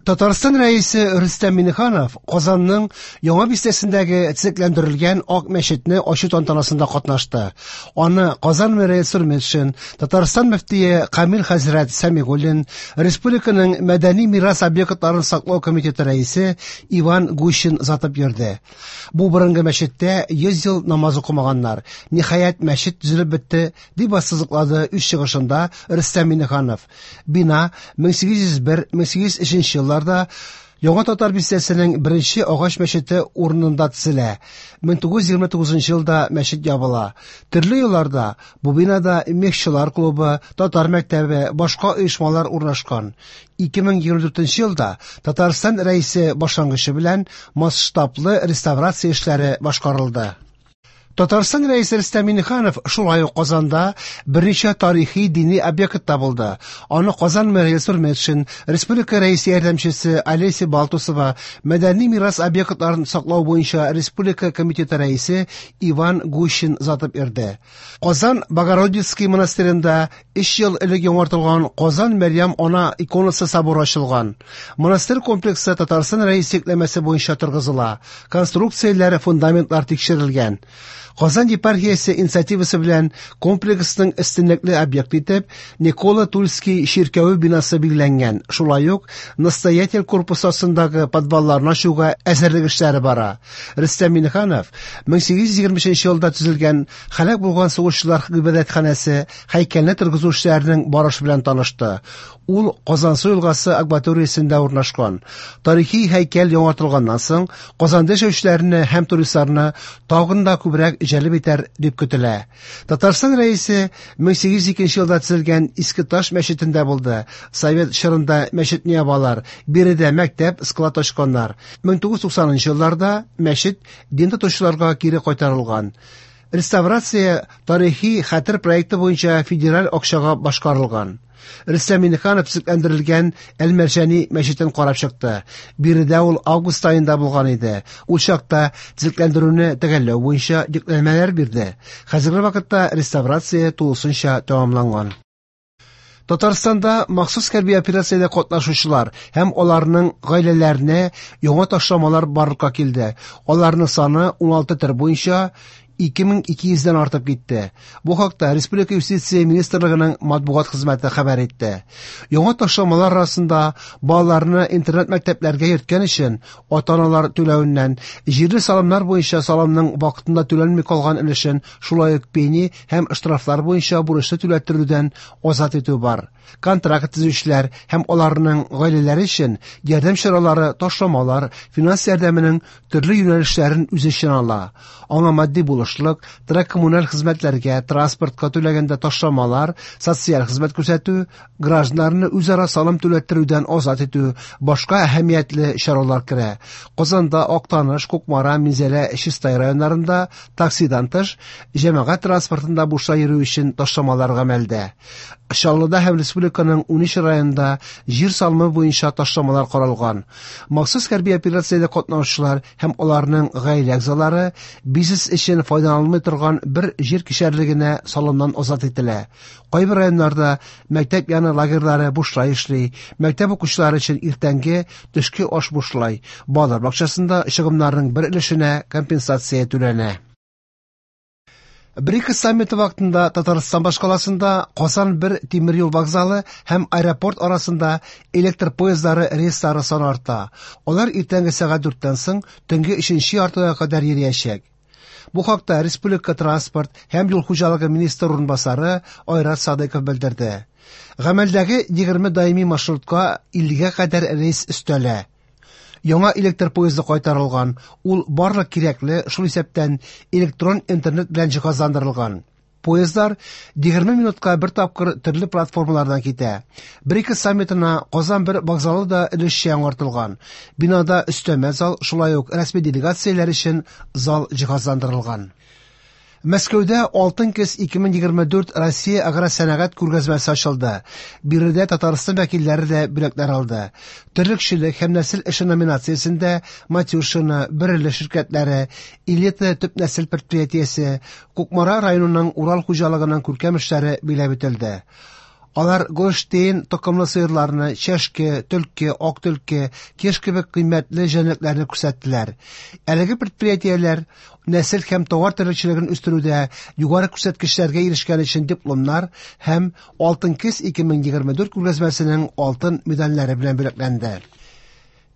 Татарстан Рәисе Рөстәм Миңнеханов Казанның Яңа бистәсендәге төзекләндерелгән Ак мәчетне ачу тантанасында катнашты. Аны Казан мэры Илсур Метшин, Татарстан мөфтие Камил хәзрәт Сәмигуллин, республиканың мәдәни мирас объектларын саклау комитеты рәисе Иван Гущин озатып йөрде. Бу борынгы мәчеттә 100 ел намаз укымаганнар. Ниһаять, мәчет төзелеп бетте, дип ассызыклады үз чыгышында Рөстәм Миңнеханов. Бина 1801-1803 елларда Яңа татар бистәсенең беренче агач мәчете урынында төзелә. 1929 елда мәчет ябыла. Төрле елларда бу бинада мехчылар клубы, татар мәктәбе, башка оешмалар урнашкан. 2024 елда Татарстан Рәисе башлангычы белән масштаблы реставрация эшләре башкарылды. Татарстан Рәисе Рөстәм Миңнеханов шулай ук Казанда берничә тарихи дини объектта булды. Аны Казан мэры Илсур Метшин, республика Рәисе ярдәмчесе Олеся Балтусова, мәдәни мирас объектларын саклау буенча республика комитеты рәисе Иван Гущин озатып йөрде. Казан Богородицкий монастыренда 3 ел элек яңартылган Казан Мәрьям Ана иконасы соборы ачылган. Монастырь комплексы Татарстан Рәисе йөкләмәсе буенча торгызыла. Конструкцияләре, фундаментлар тикшерелгән. Казан епархиясе инициативасы белән комплексның өстенлекле объекты итеп Никола Тульский чиркәве бинасы билгеләнгән. Шулай ук настоятель корпусы астындагы подвалларны ачуга әзерлек эшләре бара. Рөстәм Миңнеханов 1823 елда төзелгән һәлак булган сугышчылар гыйбадәтханәсе һәйкәлне торгызу эшләренең барышы белән танышты. Ул Казансу елгасы акваториясендә урнашкан. Тарихи һәйкәл яңартылганнан соң Казанда яшәүчеләрне һәм туристларны тагын да күбрәк җәлеп итәр дип көтелә. Татарстан Рәисе 1802 елда төзелгән Иске Таш мәчетендә булды. Совет чорында мәчетне ябалар, биредә мәктәп, склад ачканнар. 1990 елларда мәчет дин тотучыларга кире кайтарылган. Реставрация тарихи хәтер проекты буенча федераль акчага башкарылган. Рөстәм Миңнеханов төзекләндерелгән Әл-Мәрҗани мәчетен карап чыкты. Биредә ул август аенда булган иде. Ул чакта төзекләндерүне төгәлләү буенча йөкләмәләр бирде. Хәзерге вакытта реставрация тулысынча тәмамланган. Татарстанда махсус хәрби операциядә катнашучылар һәм аларның гаиләләренә яңа ташламалар барлыкка килде. Аларның саны 16 төр буенча 2200дән артып китте. Бу хакта Республика юстиция министрлыгының матбугат хезмәте хәбәр итте. Яңа ташламалар арасында балаларны интернат мәктәпләргә йөрткән өчен ата-аналар түләвеннән, җирле салымнар буенча салымның вакытында түләнми калган өлешен, шулай ук пени һәм штрафлар буенча бурычны түләттерүдән азат итү бар. Контракт төзүчеләр һәм аларның гаиләләре өчен ярдәм чаралары, ташламалар, финанс ярдәменең төрле юнәлешләрен үз эченә ала. Аңа матди булышлык, торак-коммуналь хезмәтләргә, транспортка түләгәндә ташламалар, социаль хезмәт күрсәтү, гражданнарны үзара салым түләттерүдән азат итү, башка әһәмиятле чаралар керә. Казанда, Актаныш, Кукмара, Минзәлә, Чистай районнарында таксидан тыш, җәмәгать транспортында бушлай йөрү өчен ташламалар гамәлдә. Чаллыда һәм республиканың 13 районында җир салымы буенча ташламалар каралган. Махсус хәрби операциядә катнашучылар һәм аларның гаилә әгъзалары бизнес өчен файдаланылмый торган бер җир кишәрлегенә салымнан азат ителә. Кайбер районнарда мәктәп яны лагерьлары бушлай эшли, мәктәп укучылары өчен иртәнге, төшке аш бушлай, балалар бакчасында чыгымнарның бер өлешенә компенсация түләнә. БРИКС саммиты вакытында Татарстан башкаласында Казан бер тимер юл вокзалы һәм аэропорт арасында электр поездлары рейслары саны арта. Алар иртәнге сәгать 4тән соң төнге 3нче яртыга кадәр йөриячәк. Бу хакта республика транспорт һәм юл хуҗалыгы министры урынбасары Айрат Садыков белдерде. Гамәлдәге 20 даими маршрутка 50гә кадәр рейс өстәлә. Яңа электр поезды кайтарылган, ул барлык кирәкле, шул исәптән электрон интернет белән җиһазландырылган. Поездлар 20 минутка бер тапкыр төрле платформалардан китә. БРИКС саммитына Казан бер вокзалы да өлешчә яңартылган. Бинада өстәмә зал, шулай ук рәсми делегацияләр өчен зал җиһазландырылган. Мәскәүдә Алтын көз 2024 Россия агросәнәгать күргәзмәсе ачылды. Биредә Татарстан вәкилләре дә бүләкләр алды. Терлекчелек һәм нәсел эше номинациясендә Матюшино, Бөреле ширкәтләре, Элита төп нәсел предприятиесе, Кукмара районының Урал хуҗалыгының күркәм эшләре биләп үтелде. Алар Голштейн токымлы сыерларны, чәшке, төлке, ак төлке, кеш кебек кыйммәтле җәнлекләрне күрсәттеләр. Әлеге предприятиеләр нәсел һәм товар терлекчелеген үстерүдә югары күрсәткечләргә ирешкән өчен дипломнар һәм Алтын көз 2024 күргәзмәсенең алтын медальләре белән бүләкләнде.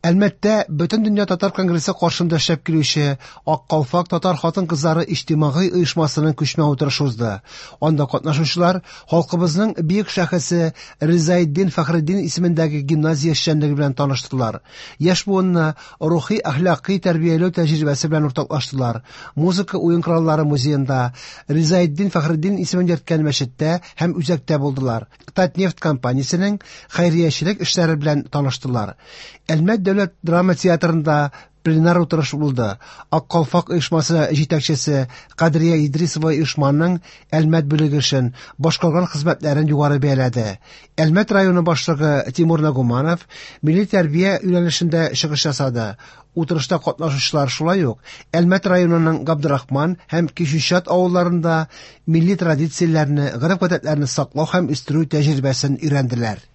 Әлмәттә Бөтендөнья татар конгрессы каршында эшләп килүче Ак калфак татар хатын-кызлары иҗтимагый оешмасының күчмә утырышы узды. Анда катнашучылар халкыбызның бөек шәхесе Ризаэддин Фәхретдин исемендәге гимназия эшчәнлеге белән таныштылар. Яшь буынны рухи-әхлакый тәрбияләү тәҗрибәсе белән уртаклаштылар. Музыка уен кораллары музеенда, Ризаэддин Фәхретдин исемен йөрткән мәчеттә һәм үзәктә булдылар. Татнефть компаниясенең хәйриячелек эшләре белән таныштылар. Әлмәт дәүләт драма театрында пленар утырыш булды. Ак калфак оешмасы җитәкчесе Кадрия Идрисова оешманың Әлмәт бүлеге эшен, башкарган хезмәтләрен югары бәяләде. Әлмәт районы башлыгы Тимур Нагуманов милли тәрбия юнәлешендә чыгыш ясады. Утырышта катнашучылар шулай ук Әлмәт районының Габдрахман һәм Кичүчат авылларында милли традицияләрне, гореф-гадәтләрне саклау һәм үстерү тәҗрибәсен өйрәнделәр.